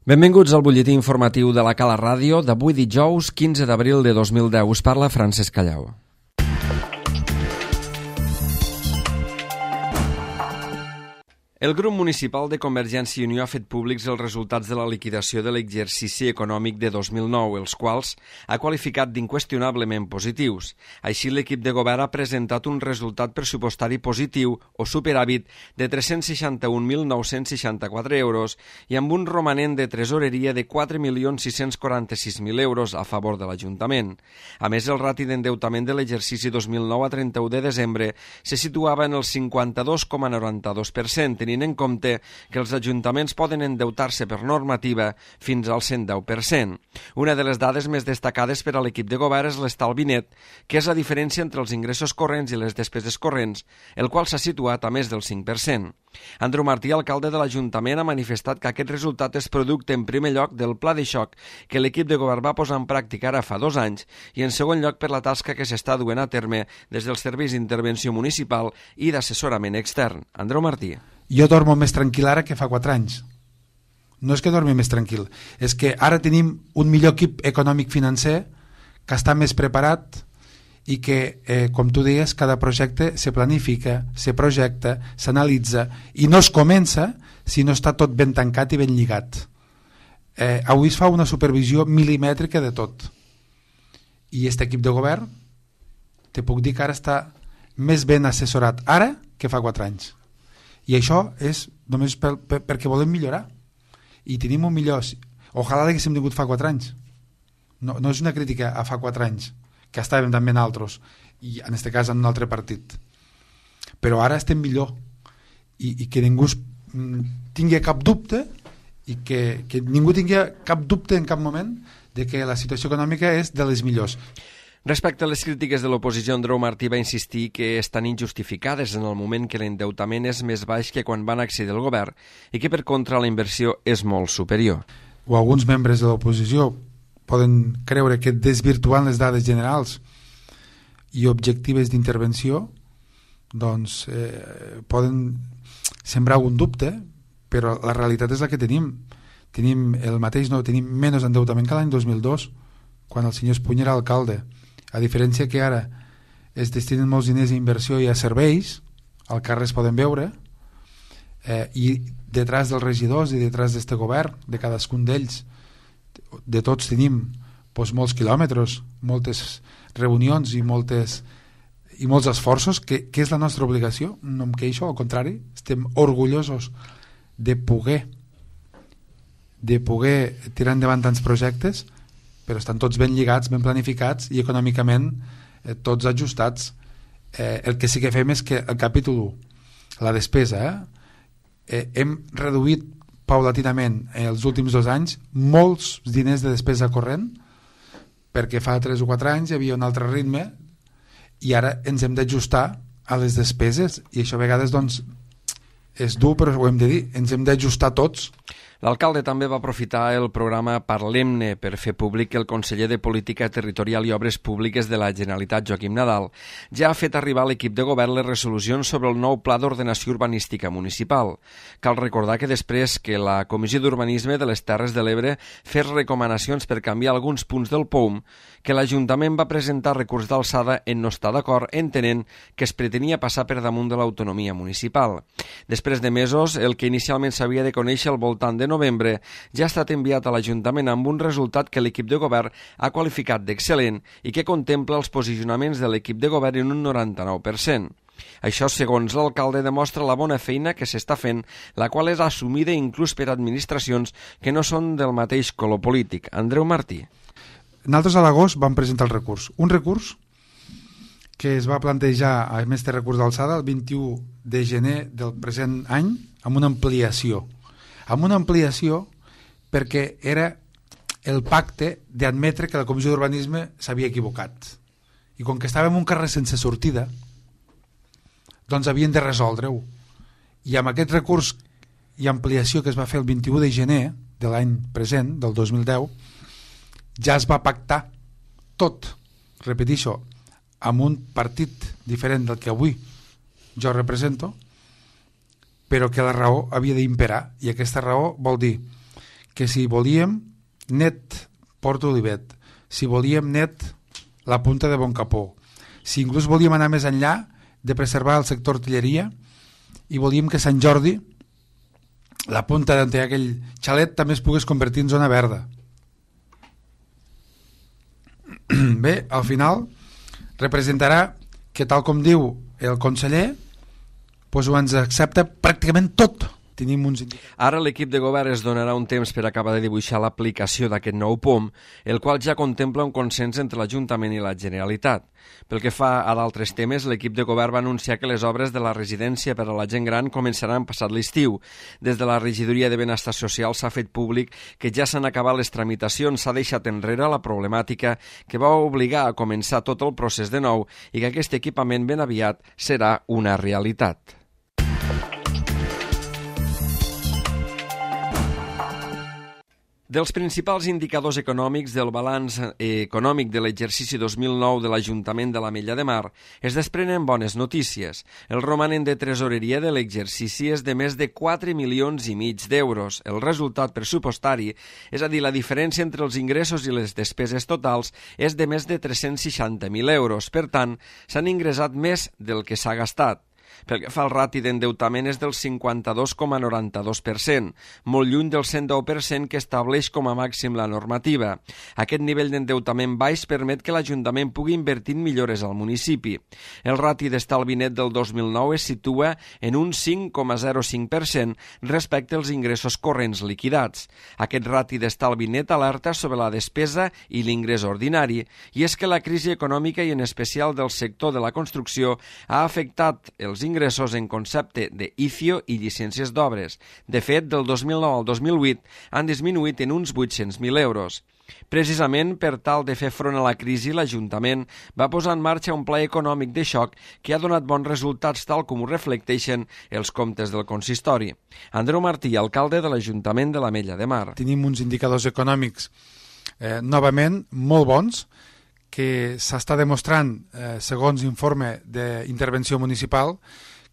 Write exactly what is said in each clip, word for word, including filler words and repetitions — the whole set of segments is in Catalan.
Benvinguts al butlletí informatiu de la Cala Ràdio d'avui dijous quinze d'abril de dos mil deu. Us parla Francesc Callau. El grup municipal de Convergència i Unió ha fet públics els resultats de la liquidació de l'exercici econòmic de dos mil nou, els quals ha qualificat d'inqüestionablement positius. Així, l'equip de govern ha presentat un resultat pressupostari positiu o superàvit de tres-cents seixanta-un mil nou-cents seixanta-quatre euros i amb un romanent de tresoreria de quatre milions sis-cents quaranta-sis mil euros a favor de l'Ajuntament. A més, el rati d'endeutament de l'exercici dos mil nou a trenta-u de desembre se situava en el cinquanta-dos coma noranta-dos per cent, tenint en compte que els ajuntaments poden endeutar-se per normativa fins al cent deu per cent. Una de les dades més destacades per a l'equip de govern és l'estalvi net, que és la diferència entre els ingressos corrents i les despeses corrents, el qual s'ha situat a més del cinc per cent. Andreu Martí, alcalde de l'Ajuntament, ha manifestat que aquest resultat és producte en primer lloc del pla de xoc que l'equip de govern va posar en pràctica ara fa dos anys i en segon lloc per la tasca que s'està duent a terme des dels serveis d'intervenció municipal i d'assessorament extern. Andreu Martí. Jo dormo més tranquil ara que fa quatre anys. No és que dormi més tranquil, és que ara tenim un millor equip econòmic-financer que està més preparat i que, eh, com tu deies, cada projecte se planifica, se projecta, s'analitza i no es comença si no està tot ben tancat i ben lligat. Eh, avui es fa una supervisió milimètrica de tot. I aquest equip de govern, te puc dir que ara està més ben assessorat ara que fa quatre anys. I això és només per, per, perquè volem millorar i tenim un millor, ojalà l'haguéssim tingut fa quatre anys, no, no és una crítica a fa quatre anys que estàvem també en altres i en aquest cas en un altre partit, però ara estem millor i, i que ningú tingui cap dubte i que, que ningú tingui cap dubte en cap moment de que la situació econòmica és de les millors. Respecte a les crítiques de l'oposició, Andreu Martí va insistir que estan injustificades en el moment que l'endeutament és més baix que quan van accedir al govern i que, per contra, la inversió és molt superior. O alguns membres de l'oposició poden creure que desvirtuant les dades generals i objectives d'intervenció doncs eh, poden sembrar un dubte, però la realitat és la que tenim. Tenim el mateix, no, tenim menys endeutament que l'any dos mil dos, quan el senyor Espuny era alcalde. A diferència que ara es destinen molts diners a inversió i a serveis, al carrer es poden veure, eh, i detrás dels regidors i detrás d'este govern, de cadascun d'ells, de tots tenim doncs, molts quilòmetres, moltes reunions i, moltes, i molts esforços, que, que és la nostra obligació. No em queixo, al contrari, estem orgullosos de poder, de poder tirar endavant tants projectes, però estan tots ben lligats, ben planificats i econòmicament eh, tots ajustats. Eh, el que sí que fem és que el capítol u, la despesa, eh, eh, hem reduït paulatinament en els últims dos anys molts diners de despesa corrent, perquè fa tres o quatre anys hi havia un altre ritme i ara ens hem d'ajustar a les despeses i això a vegades doncs, és dur, però ho hem de dir, ens hem d'ajustar tots. L'alcalde també va aprofitar el programa Parlem-ne per fer públic que el conseller de Política Territorial i Obres Públiques de la Generalitat, Joaquim Nadal, ja ha fet arribar a l'equip de govern les resolucions sobre el nou Pla d'Ordenació Urbanística Municipal. Cal recordar que després que la Comissió d'Urbanisme de les Terres de l'Ebre fes recomanacions per canviar alguns punts del P O U M, que l'Ajuntament va presentar recurs d'alçada en no estar d'acord, entenent que es pretenia passar per damunt de l'autonomia municipal. Després de mesos, el que inicialment s'havia de conèixer al voltant de novembre ja ha estat enviat a l'Ajuntament amb un resultat que l'equip de govern ha qualificat d'excel·lent i que contempla els posicionaments de l'equip de govern en un noranta-nou per cent. Això, segons l'alcalde, demostra la bona feina que s'està fent, la qual és assumida inclús per administracions que no són del mateix color polític. Andreu Martí. Nosaltres a l'agost vam presentar el recurs. Un recurs que es va plantejar, a més de recurs d'alçada, el vint-i-u de gener del present any, amb una ampliació. Amb una ampliació perquè era el pacte d'admetre que la Comissió d'Urbanisme s'havia equivocat. I com que estàvem en un carrer sense sortida, doncs havien de resoldre-ho. I amb aquest recurs i ampliació que es va fer el vint-i-u de gener de l'any present, del dos mil deu, ja es va pactar tot, repeteixo, amb un partit diferent del que avui jo represento, però que la raó havia d'imperar, i aquesta raó vol dir que si volíem net Port Olivet, si volíem net la punta de Boncapó, si inclús volíem anar més enllà de preservar el sector artilleria i volíem que Sant Jordi, la punta d'aquell xalet, també es pogués convertir en zona verda. Bé, al final representarà que, tal com diu el conseller, doncs ho ens accepta pràcticament tot. Tenim uns indicadors. Ara l'equip de govern es donarà un temps per acabar de dibuixar l'aplicació d'aquest nou P O M, el qual ja contempla un consens entre l'Ajuntament i la Generalitat. Pel que fa a d'altres temes, l'equip de govern va anunciar que les obres de la residència per a la gent gran començaran passat l'estiu. Des de la Regidoria de Benestar Social s'ha fet públic que ja s'han acabat les tramitacions, s'ha deixat enrere la problemàtica que va obligar a començar tot el procés de nou i que aquest equipament ben aviat serà una realitat. Dels principals indicadors econòmics del balanç econòmic de l'exercici dos mil nou de l'Ajuntament de l'Ametlla de Mar es desprenen bones notícies. El romanent de tresoreria de l'exercici és de més de quatre milions i mig d'euros. El resultat pressupostari, és a dir, la diferència entre els ingressos i les despeses totals, és de més de tres-cents seixanta mil euros. Per tant, s'han ingressat més del que s'ha gastat. Pel que fa al rati d'endeutament és del cinquanta-dos coma noranta-dos per cent, molt lluny del cent deu per cent que estableix com a màxim la normativa. Aquest nivell d'endeutament baix permet que l'Ajuntament pugui invertir en millores al municipi. El rati d'estalvi net del dos mil nou es situa en un cinc coma zero cinc per cent respecte als ingressos corrents liquidats. Aquest rati d'estalvi net alerta sobre la despesa i l'ingrés ordinari, i és que la crisi econòmica i en especial del sector de la construcció ha afectat els ingressos en concepte de I C I O i llicències d'obres. De fet, del dos mil nou al dos mil vuit han disminuït en uns vuit-cents mil euros. Precisament per tal de fer front a la crisi, l'Ajuntament va posar en marxa un pla econòmic de xoc que ha donat bons resultats, tal com ho reflecteixen els comptes del consistori. Andreu Martí, alcalde de l'Ajuntament de l'Ametlla de Mar. Tenim uns indicadors econòmics eh, novament molt bons, que s'està demostrant, eh, segons informe d'intervenció municipal,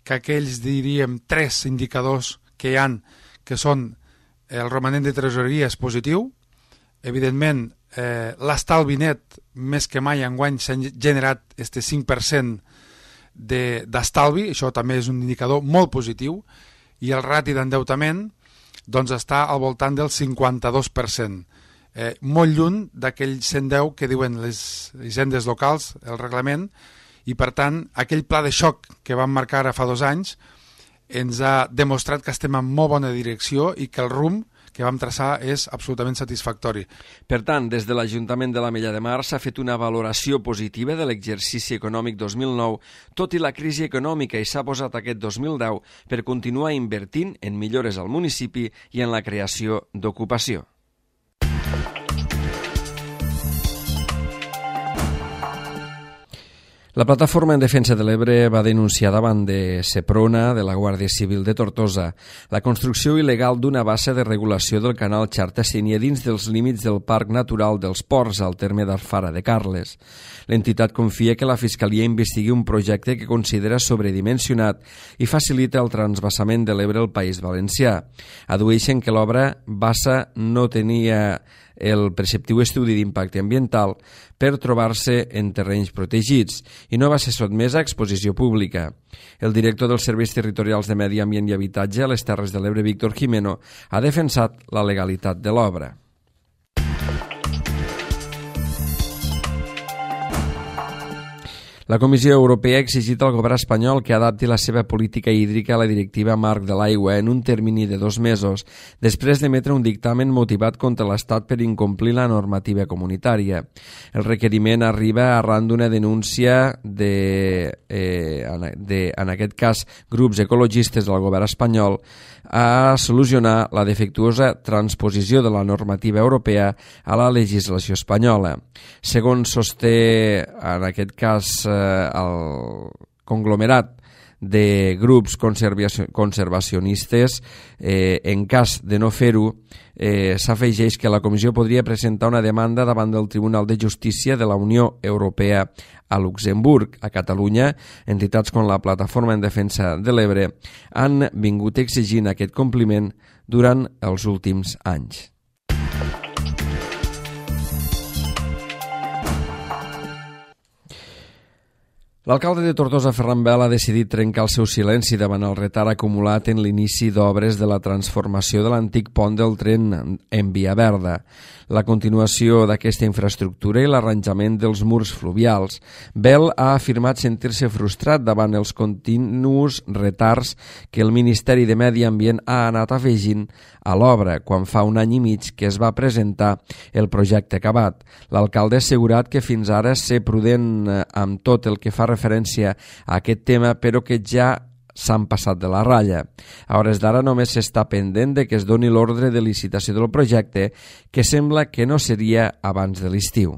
que aquells, diríem, tres indicadors que hi han, que són el romanent de tresoreria és positiu, evidentment eh, l'estalvi net més que mai enguany s'ha generat este cinc per cent d'estalvi, això també és un indicador molt positiu, i el rati d'endeutament doncs, està al voltant del cinquanta-dos per cent. Eh, molt lluny d'aquell cent deu que diuen les hisendes locals, el reglament, i per tant aquell pla de xoc que vam marcar ara fa dos anys ens ha demostrat que estem en molt bona direcció i que el rumb que vam traçar és absolutament satisfactori. Per tant, des de l'Ajuntament de l'Ametlla de Mar s'ha fet una valoració positiva de l'exercici econòmic dos mil nou, tot i la crisi econòmica, i s'ha posat aquest dos mil deu per continuar invertint en millores al municipi i en la creació d'ocupació. La Plataforma en Defensa de l'Ebre va denunciar davant de Seprona, de la Guàrdia Civil de Tortosa, la construcció il·legal d'una bassa de regulació del canal Xarta-Sénia dins dels límits del Parc Natural dels Ports, al terme d'Alfara de Carles. L'entitat confia que la Fiscalia investigui un projecte que considera sobredimensionat i facilita el transvasament de l'Ebre al País Valencià. Adueixen que l'obra bassa no tenia el preceptiu estudi d'impacte ambiental per trobar-se en terrenys protegits i no va ser sotmesa a exposició pública. El director dels Serveis Territorials de Medi Ambient i Habitatge a les Terres de l'Ebre, Víctor Jimeno, ha defensat la legalitat de l'obra. La Comissió Europea ha exigit al govern espanyol que adapti la seva política hídrica a la directiva marc de l'aigua en un termini de dos mesos, després d'emetre un dictamen motivat contra l'Estat per incomplir la normativa comunitària. El requeriment arriba arran d'una denúncia de, eh, de, en aquest cas, grups ecologistes del govern espanyol a solucionar la defectuosa transposició de la normativa europea a la legislació espanyola. Segons sosté, en aquest cas, el conglomerat de grups conservacionistes, eh, en cas de no fer-ho, eh, s'afegeix que la Comissió podria presentar una demanda davant del Tribunal de Justícia de la Unió Europea a Luxemburg. A Catalunya, entitats com la Plataforma en Defensa de l'Ebre han vingut exigint aquest compliment durant els últims anys. L'alcalde de Tortosa, Ferran Bel, ha decidit trencar el seu silenci davant el retard acumulat en l'inici d'obres de la transformació de l'antic pont del tren en Via Verda, la continuació d'aquesta infraestructura i l'arranjament dels murs fluvials. Bel ha afirmat sentir-se frustrat davant els continus retards que el Ministeri de Medi Ambient ha anat afegint a l'obra quan fa un any i mig que es va presentar el projecte acabat. L'alcalde ha assegurat que fins ara ser prudent amb tot el que fa referència a aquest tema, però que ja s'han passat de la ratlla. A hores d'ara només s'està pendent de que es doni l'ordre de licitació del projecte, que sembla que no seria abans de l'estiu.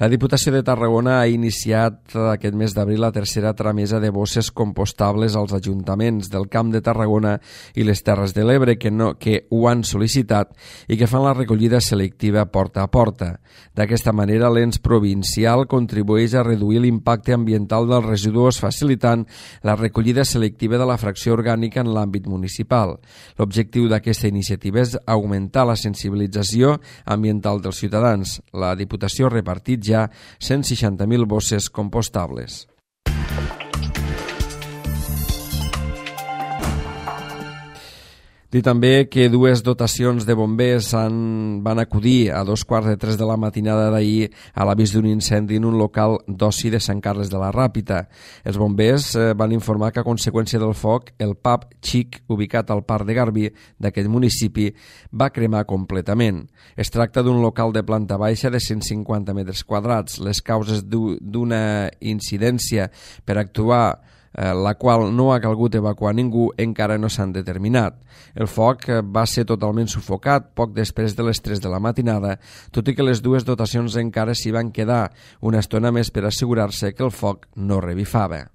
La Diputació de Tarragona ha iniciat aquest mes d'abril la tercera tramesa de bosses compostables als ajuntaments del Camp de Tarragona i les Terres de l'Ebre que, no, que ho han sol·licitat i que fan la recollida selectiva porta a porta. D'aquesta manera, l'ens provincial contribueix a reduir l'impacte ambiental dels residus facilitant la recollida selectiva de la fracció orgànica en l'àmbit municipal. L'objectiu d'aquesta iniciativa és augmentar la sensibilització ambiental dels ciutadans. La Diputació ha repartit ja cent seixanta mil bosses compostables. Dir també que dues dotacions de bombers han, van acudir a dos quarts de tres de la matinada d'ahir a l'avís d'un incendi en un local d'oci de Sant Carles de la Ràpita. Els bombers eh, van informar que a conseqüència del foc el pub Xic, ubicat al Parc de Garbí d'aquest municipi, va cremar completament. Es tracta d'un local de planta baixa de cent cinquanta metres quadrats. Les causes d'una incidència per actuar la qual no ha calgut evacuar ningú encara no s'han determinat. El foc va ser totalment sufocat poc després de les tres de la matinada, tot i que les dues dotacions encara s'hi van quedar una estona més per assegurar-se que el foc no revifava.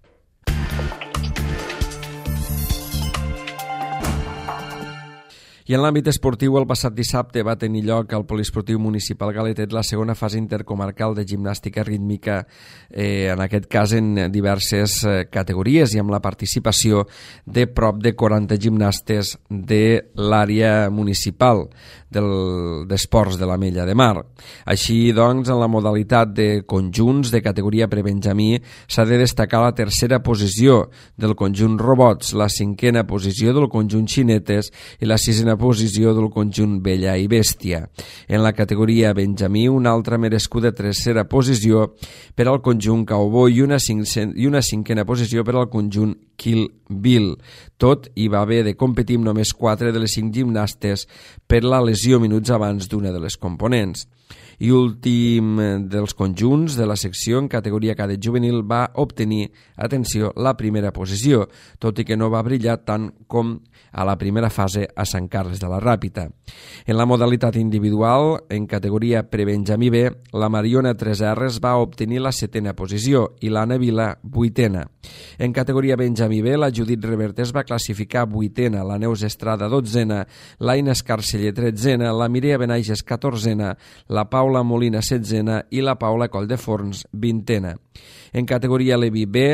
I en l'àmbit esportiu, el passat dissabte va tenir lloc al Poliesportiu Municipal Galetet la segona fase intercomarcal de gimnàstica rítmica, eh, en aquest cas en diverses eh, categories i amb la participació de prop de quaranta gimnastes de l'àrea municipal d'esports de l'Ametlla de Mar. Així doncs, en la modalitat de conjunts de categoria prebenjamí s'ha de destacar la tercera posició del conjunt robots, la cinquena posició del conjunt xinetes i la sisena posició del conjunt Bella i Bèstia. En la categoria benjamí, una altra merescuda tercera posició per al conjunt Cowboy i una, cinc, i una cinquena posició per al conjunt Kill Bill. Tot hi va haver de competir amb només quatre de les cinc gimnastes per la lesió minuts abans d'una de les components. I últim dels conjunts de la secció en categoria cadet juvenil va obtenir, atenció, la primera posició, tot i que no va brillar tant com a la primera fase a Sant Carles de la Ràpita. En la modalitat individual, en categoria prebenjamí B, la Mariona tres erres va obtenir la setena posició i l'Anna Vila vuitena. En categoria benjamí B, la Judit Revertés va classificar vuitena, la Neus Estrada dotzena, l'Aina Escarceller tretzena, la Mireia Benages catorzena, la Paula Molina setzena i la Paula Colldeforns vintena. En categoria Levi B,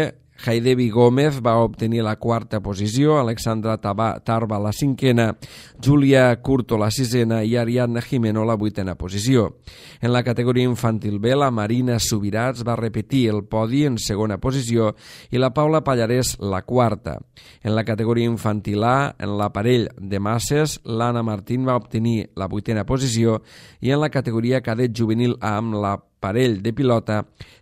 Haidevi Gómez va obtenir la quarta posició, Alexandra Tarba la cinquena, Júlia Curto la sisena i Ariadna Jimeno la vuitena posició. En la categoria infantil B, la Marina Subirats va repetir el podi en segona posició i la Paula Pallarès la quarta. En la categoria infantil A, en l'aparell de masses, l'Anna Martín va obtenir la vuitena posició i en la categoria cadet juvenil A, amb la parell de pilota,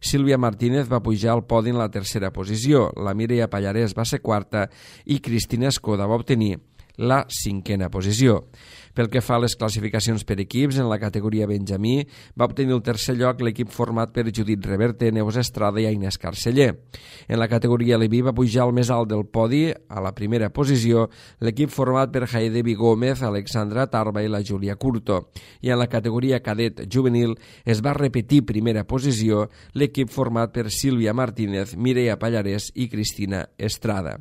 Sílvia Martínez va pujar al podi en la tercera posició, la Mireia Pallarès va ser quarta i Cristina Escoda va obtenir la cinquena posició. Pel que fa a les classificacions per equips, en la categoria benjamí va obtenir el tercer lloc l'equip format per Judit Reverte, Neus Estrada i Aina Escarceller. En la categoria Levi va pujar al més alt del podi, a la primera posició, l'equip format per Haidevi Gómez, Alexandra Tarba i la Júlia Curto. I en la categoria cadet juvenil es va repetir primera posició l'equip format per Sílvia Martínez, Mireia Pallarès i Cristina Estrada.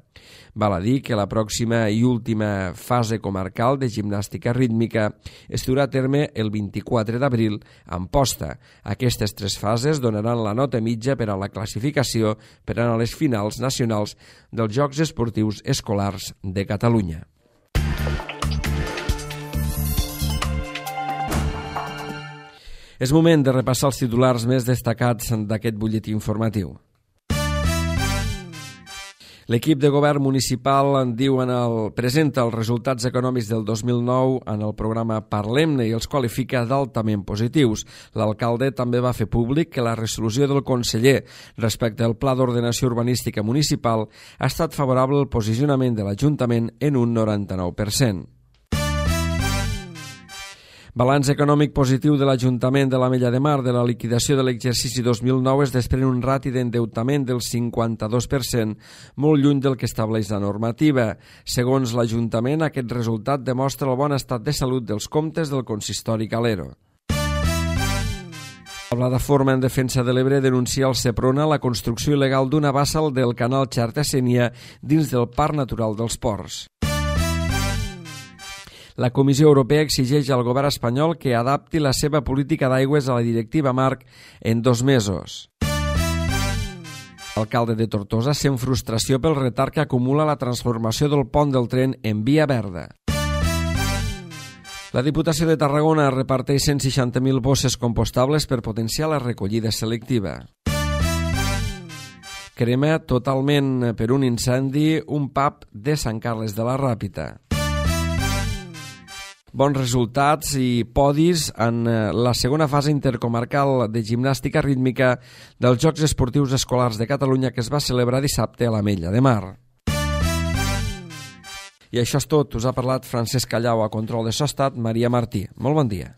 Val a dir que la pròxima i última fase comarcal de gimnàstica rítmica es durà a terme el vint-i-quatre d'abril a Amposta. Aquestes tres fases donaran la nota mitja per a la classificació per anar a les finals nacionals dels Jocs Esportius Escolars de Catalunya. És moment de repassar els titulars més destacats d'aquest butlletí informatiu. L'equip de govern municipal en diu en el, presenta els resultats econòmics del dos mil nou en el programa Parlem-ne i els qualifica d'altament positius. L'alcalde també va fer públic que la resolució del conseller respecte al Pla d'Ordenació Urbanística Municipal ha estat favorable al posicionament de l'Ajuntament en un noranta-nou per cent. Balanç econòmic positiu de l'Ajuntament de l'Ametlla de Mar de la liquidació de l'exercici dos mil nou es desprèn un rati d'endeutament del cinquanta-dos per cent, molt lluny del que estableix la normativa. Segons l'Ajuntament, aquest resultat demostra el bon estat de salut dels comptes del consistori Calero. La plataforma en defensa de l'Ebre denuncia al Seprona la construcció il·legal d'una bassa del canal Xarta-Sénia dins del Parc Natural dels Ports. La Comissió Europea exigeix al govern espanyol que adapti la seva política d'aigües a la directiva Marc en dos mesos. L'alcalde de Tortosa sent frustració pel retard que acumula la transformació del pont del tren en via verda. La Diputació de Tarragona reparteix cent seixanta mil bosses compostables per potenciar la recollida selectiva. Crema totalment per un incendi un pub de Sant Carles de la Ràpita. Bons resultats i podis en la segona fase intercomarcal de gimnàstica rítmica dels Jocs Esportius Escolars de Catalunya que es va celebrar dissabte a l'Ametlla de Mar. I això és tot. Us ha parlat Francesc Callau, a control de so estat Maria Martí. Molt bon dia.